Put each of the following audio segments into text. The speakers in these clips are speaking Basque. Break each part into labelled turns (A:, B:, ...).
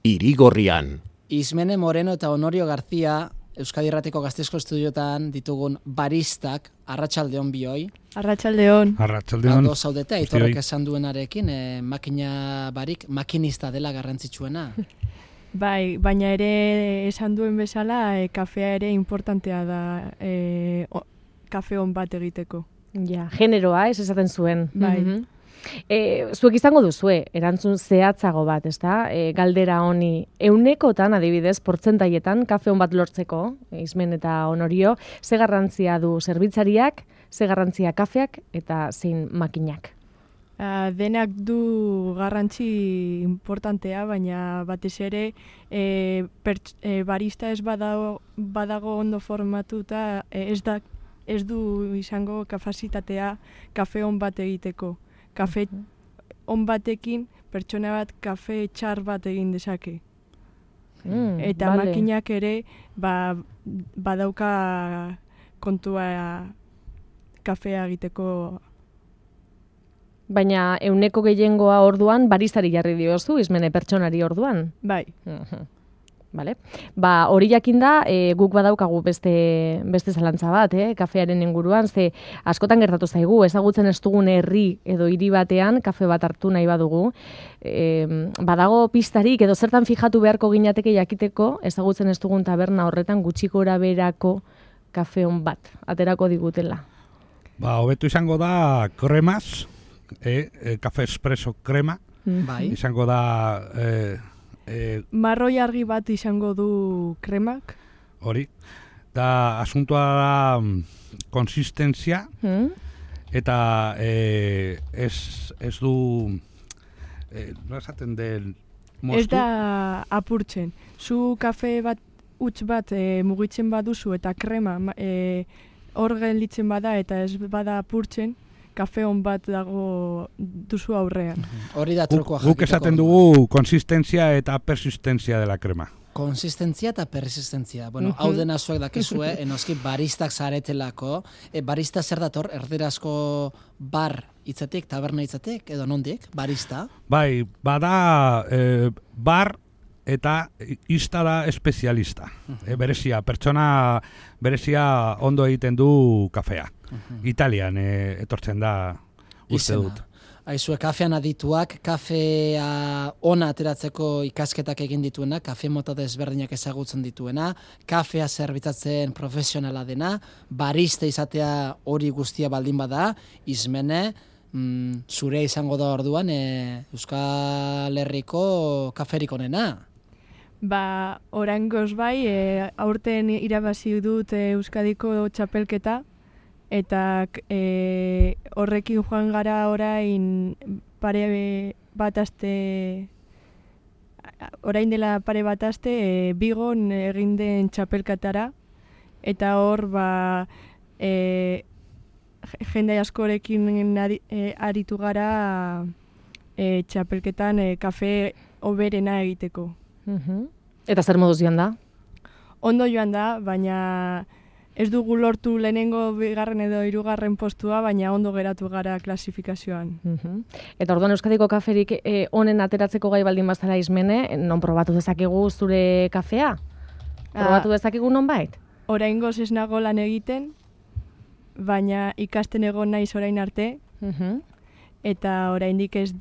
A: Irigorrian.
B: Ismene Moreno eta Honorio Garzia, Euskadi Irratiko Gasteizko Estudiotan ditugun baristak, arratsaldeon bioi.
C: Arratsaldeon.
D: Arratsaldeon.
B: Ondo zaudete, Aitorrek esan duenarekin, makina barik, makinista dela garrantzitsuena.
C: Bai, baina ere esan duen bezala, kafea ere importantea da kafe on bat egiteko.
E: Ja, generoa, esaten zuen.
C: Bai.
E: Zuek izango duzue, erantzun zehatzago bat, ezta? Galdera honi, 100etan adibidez, portzentaietan, kafe on bat lortzeko, Ismen eta Honorio, ze garrantzia du zerbitzariak, ze garrantzia kafeak eta zein makinak?
C: Denak du garrantzi importantea, baina batez ere barista ez badago ondo formatuta, ez du izango kapazitatea kafe on bat egiteko. Kafe on batekin pertsona bat kafe txar bat egin dezake. Eta
E: vale.
C: makinak ere badauka kontua kafea egiteko.
E: Baina 100ko gehiengoa orduan baristari jarri diozu, Ismene pertsonari orduan.
C: Bai.
E: Vale. Hori jakinda, guk badaukagu beste zalantza bat, kafearen inguruan, ze askotan gertatu zaigu, ezagutzen ez dugun herri edo hiri batean kafe bat hartu nahi badugu. Badago pistarik edo zertan fijatu beharko ginateke jakiteko, ezagutzen ez dugun taberna horretan gutxi gorabeherako kafe on bat aterako digutela.
D: Hobetu izango da kremaz, kafe espresso krema,
B: Bai.
D: izango da
C: Marroi argi bat izango du kremak.
D: hori. Da asuntoa da konsistentzia eta ez du no esaten den moztu.
C: Ez da apurtzen. Zu kafe bat huts bat mugitzen baduzu eta krema hor gelditzen bada eta ez bada apurtzen, kafe on bat dago duzu aurrean.
B: Hori da trukoa jakiteko.
D: Guk esaten dugu konsistentzia eta persistentzia dela krema.
B: Konsistentzia eta persistentzia. Bueno, hau dena zuek dakizue, enoski baristak zaretelako. Barista zer dator, erderazko bar hitzetik, taberna hitzetik, edo nondik, barista?
D: Bai, bada bar eta ista da espezialista. Pertsona berezia ondo egiten du kafea. Italian etortzen da uste dut.
B: Aizue, kafean adituak, kafea ona ateratzeko ikasketak egin dituena, kafe mota desberdinak ezagutzen dituena, kafea zerbitzatzen profesionala dena, barista izatea hori guztia baldin bada, Ismene, zure izango da orduan Euskal Herriko kaferik onena.
C: Oraingoz bai, aurten irabazi dut Euskadiko txapelketa, eta horrekin joan gara orain dela pare bat aste Bigon egin den txapelketara, eta hor jende askorekin aritu gara txapelketan kafe hoberena egiteko.
E: Eta zer moduz joan da?
C: Ondo joan da, baina ez dugu lortu lehenengo, bigarren edo hirugarren postua, baina ondo geratu gara klasifikazioan.
E: Eta orduan Euskadiko kaferik honen ateratzeko gai baldin bazara Ismene, non probatu dezakegu zure kafea? Probatu dezakegu nonbait?
C: Oraingoz ez nago lan egiten, baina ikasten egon naiz orain arte, eta oraindik ez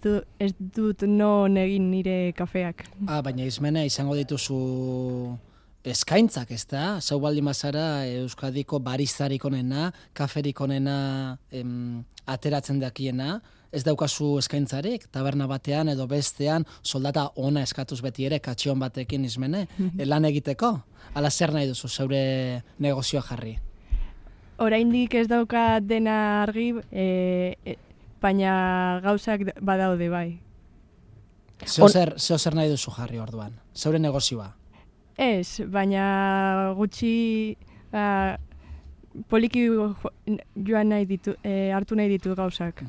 C: dut non egin nire kafeak.
B: Baina Ismene, izango dituzu eskaintzak, ez da? Zau baldin bazara Euskadiko baristarik onena, kaferik onena ateratzen dakiena, ez daukazu eskaintzarik, taberna batean edo bestean soldata ona eskatuz beti ere, katxion batekin Ismene, lan egiteko? Ala zer nahi duzu zeure negozioa jarri?
C: Oraindik ez dauka dena argi, baina gauzak badaude bai.
B: Zeo zer nahi duzu jarri orduan? Zeure negozioa?
C: Ez, baina gutxi poliki joan hartu nahi ditu gauzak.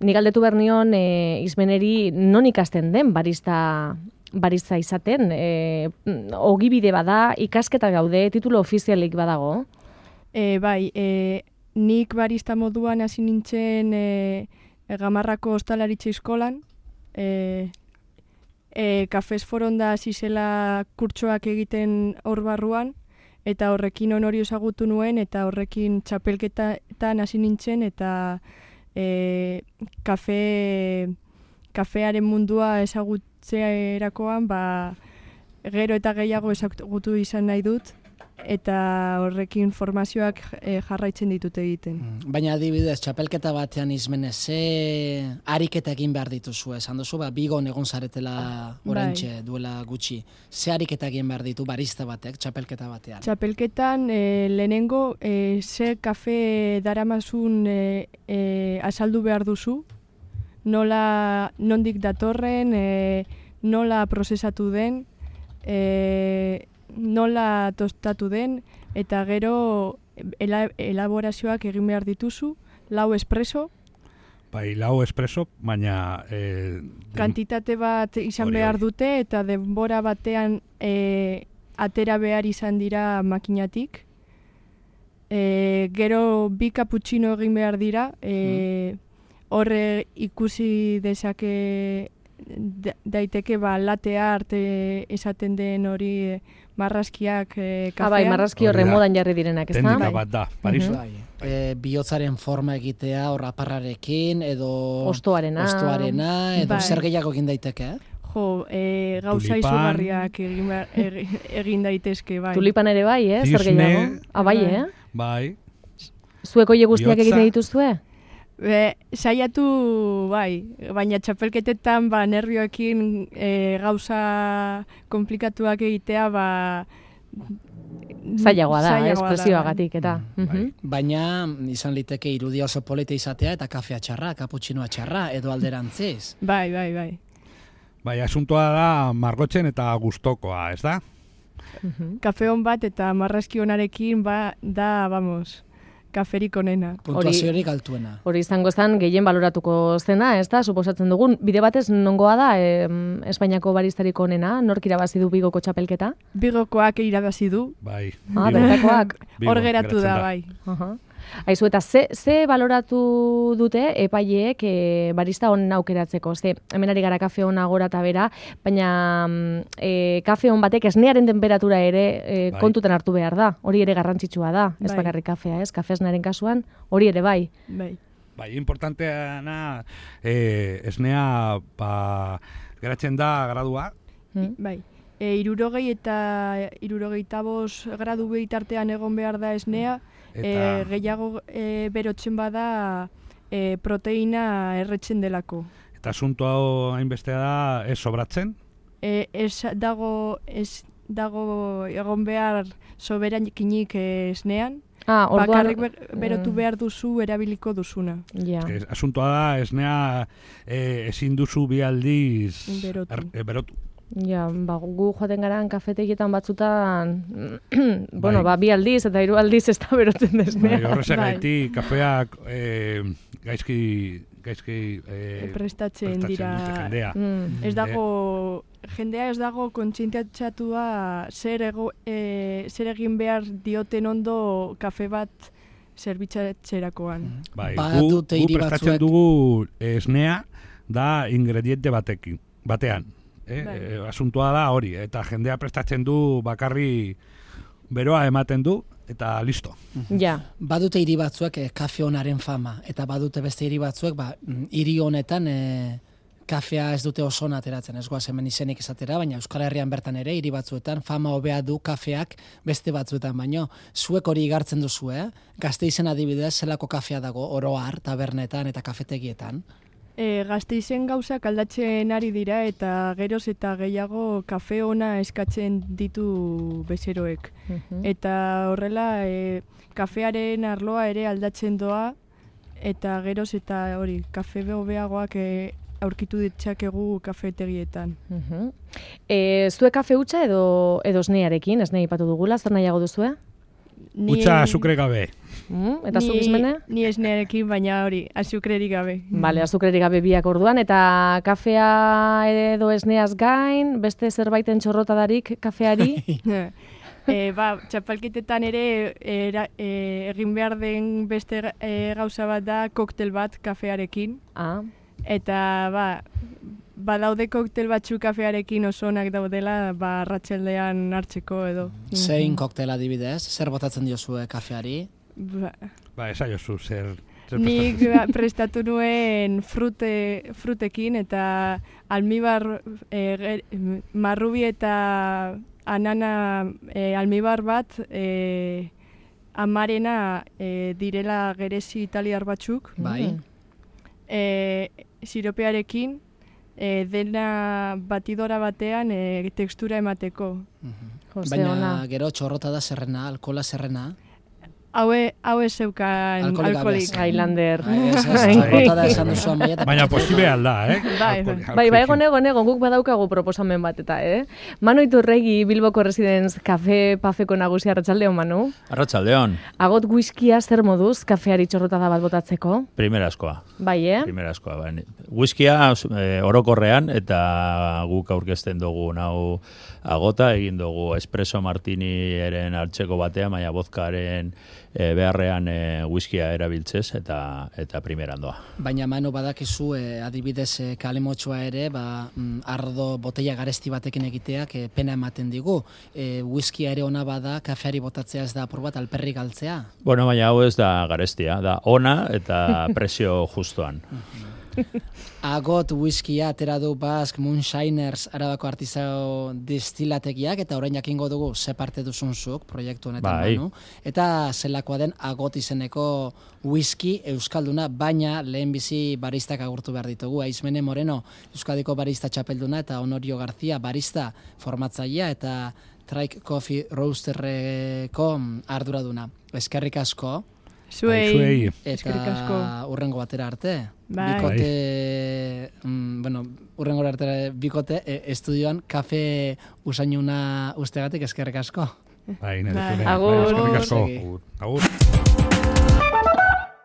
E: Nik galdetu behar nion Ismeneri non ikasten den barista izaten, ogibide bada, ikasketa gaude, titulo ofizialik badago?
C: Bai, nik barista moduan hasi nintzen Gamarrako Ostalaritza Eskolan, Kafez Foronda hasi zela kurtsoak egiten hor barruan, eta horrekin Onorio ezagutu nuen, eta horrekin txapelketan hasi nintzen, eta kafearen mundua ezagutzerakoan, gero eta gehiago ezagutu izan nahi dut, eta horrekin formazioak jarraitzen ditut egiten.
B: Baina adibidez, txapelketa batean izmenez, ze ariketa egin behar dituzu, esan duzu, Bigon egon zaretela oraintxe duela gutxi. Ze ariketa egin behar ditu barista batek, txapelketa batean?
C: Txapelketan lehenengo ze kafe daramazun azaldu behar duzu, nondik datorren, nola prozesatu den, nola tostatu den, eta gero elaborazioak egin behar dituzu, 4 espresso.
D: Bai, 4 espresso, baina...
C: kantitate bat izan behar dute, eta denbora batean atera behar izan dira makinatik. Gero 2 cappuccino egin behar dira, horre ikusi dezake daiteke latte art esaten den hori marrazkiak kafean.
E: Bai, marrazki horre modan jarri direnak, ez da?
D: Teknika bat da, Paris.
B: Bihotzaren forma egitea, hor aparrarekin, edo...
E: Ostoarena,
B: edo zer gehiago egin daiteke,
C: gauza izugarriak egin daitezke, bai.
E: Tulipan ere bai, zer gehiago? Bai,
D: Bai.
E: Zueko hile guztiak egiten dituzue?
C: Saiatu, bai, baina txapelketetan nervioekin gauza komplikatuak egitea,
E: zailagoa da, espresioagatik eta.
B: Baina izan liteke irudia oso polite izatea eta kafea txarra, cappuccinoa txarra, edo alderantziz.
C: Bai.
D: Bai, asuntoa da margotzen eta gustokoa, ez da?
C: Kafe hon bat eta marrazki honarekin da, vamos... kaferik onena.
B: Puntuaziorik altuena.
E: Hori izango zen gehien baloratuko zena, ez da, suposatzen dugun. Bide batez nongoa da Espainiako baristarik onena, nork irabazi du Bigoko txapelketa?
C: Bigokoak irabazi du.
D: Bai.
E: Bertakoak.
C: Hor geratu da, bai.
E: Aizu, eta ze baloratu dute epaileek barista honen aukeratzeko? Ze, hemen ari gara kafe hona gora eta bera, baina kafe hon batek esnearen temperatura ere kontutan hartu behar da. Hori ere garrantzitsua da, ez bakarrik kafea, ez? Kafe esnearen kasuan, hori ere bai.
D: Bai, importanteana esnea geratzen da gradua.
C: Bai. 60 eta 65 gradu behitartean egon behar da esnea, gehiago berotzen bada proteina erretzen delako.
D: Eta asunto hau hainbestea da ez sobratzen?
C: Ez dago egon behar soberakinik esnean, bakarrik berotu behar duzu erabiliko duzuna.
D: Asuntoa da esnea ezin duzu bi aldiz berotu.
E: Ja, gu joaten garan kafetegietan batzutan, bi aldiz eta 3 aldiz ez da berotzen desnea.
D: Horrezagatik kafeak gaizki
C: prestatzen dira. Jendea ez dago kontzientziatua zer egin behar dioten ondo kafe bat zerbitzatzerakoan.
D: Bai, gu prestatzen dugu esnea da ingrediente batean. Asuntoa da hori, eta jendea prestatzen du bakarri beroa ematen du, eta listo.
B: Badute hiri batzuek kafe honaren fama, eta badute beste hiri batzuek hiri honetan kafea ez dute oso ateratzen, ez goaz hemen izenik esatera, baina Euskal Herrian bertan ere hiri batzuetan fama hobea du kafeak beste batzuetan, baino zuek hori igartzen duzu, Gasteizen adibidez zelako kafea dago oro har, tabernetan eta kafetegietan?
C: Gasteizen gauzak aldatzen ari dira eta geroz eta gehiago kafe ona eskatzen ditu bezeroek. Eta horrela kafearen arloa ere aldatzen doa eta geroz eta hori kafe hobeagoak aurkitu ditzakegu kafetegietan.
E: Zue kafe hutsa edo esnearekin, esnea ipatu dugula, zer nahiago duzue?
D: Hutsa azukre gabe.
E: Eta zuk izmene?
C: Ni esnearekin, baina hori, azukrerik gabe.
E: Bale, azukrerik gabe biak orduan, eta kafea edo esneaz gain, beste zerbaiten txorrotadarik kafeari?
C: Txapelketetan ere egin behar den beste gauza bat da koktel bat kafearekin. Eta badaude koktel batzuk kafearekin oso onak daudela, arratsaldean hartzeko edo.
B: Zein koktel adibidez? Zer botatzen diozue kafeari?
D: Esaiozu, zer
C: nik prestatu nuen frutekin eta almibar, marrubi eta anana almibar bat, amarena direla gerezi italiar batzuk.
B: Bai.
C: Siropearekin, dena batidora batean tekstura emateko.
B: Baina gero txorrota da zerrena, alkola zerrena.
C: Hau ez zeukan alkoholik.
E: Highlander.
B: Txorrota da esan duzu amaia.
D: Baina posible alda,
E: Bai, egon guk badaukagu proposamen bat eta, Manu Iturregi, Bilboko Residence Cafe Pafeko nagusi, arratsaldeon, Manu.
A: Arratsaldeon.
E: Agot whiskia zer moduz kafeari txorrotada bat botatzeko?
A: Primeraskoa.
E: Bai,
A: Primeraskoa, bai. Whiskia orokorrean eta guk aurkezten dugu hau agota, egin dugu espresso martiniren hartzeko batean, baina vodkaren beharrean whiskia erabiltzez eta primeran doa.
B: Baina Manu badakizu adibidez kalemotxoa ere, ardo botella garesti batekin egiteak pena ematen digu. Whiskia ere ona bada, kafeari botatzea ez da apur bat alperrik galtzea?
A: Bueno, baina hau ez da garestia, da ona eta presio justuan.
B: Agot whiskia atera du Basque Moonshiners Arabako artizao destilategiak eta orain jakingo dugu ze parte duzunzuk proiektu honetan, Manu. Eta zelakoa den Agot izeneko whisky euskalduna, baina lehenbizi baristak agurtu behar ditugu. Aizmene Moreno, Euskadiko barista txapelduna, eta Honorio García, barista formatzailea eta Trike Coffee Roasterreko arduraduna. Eskerrik asko.
C: Zuei.
B: Eta urrengo batera arte.
C: Bai.
B: Urrengo arte bikote estudioan kafe usainuna ustegatik eskerrik asko.
D: Bai,
E: Agur.
D: Eskerrik asko. Agur.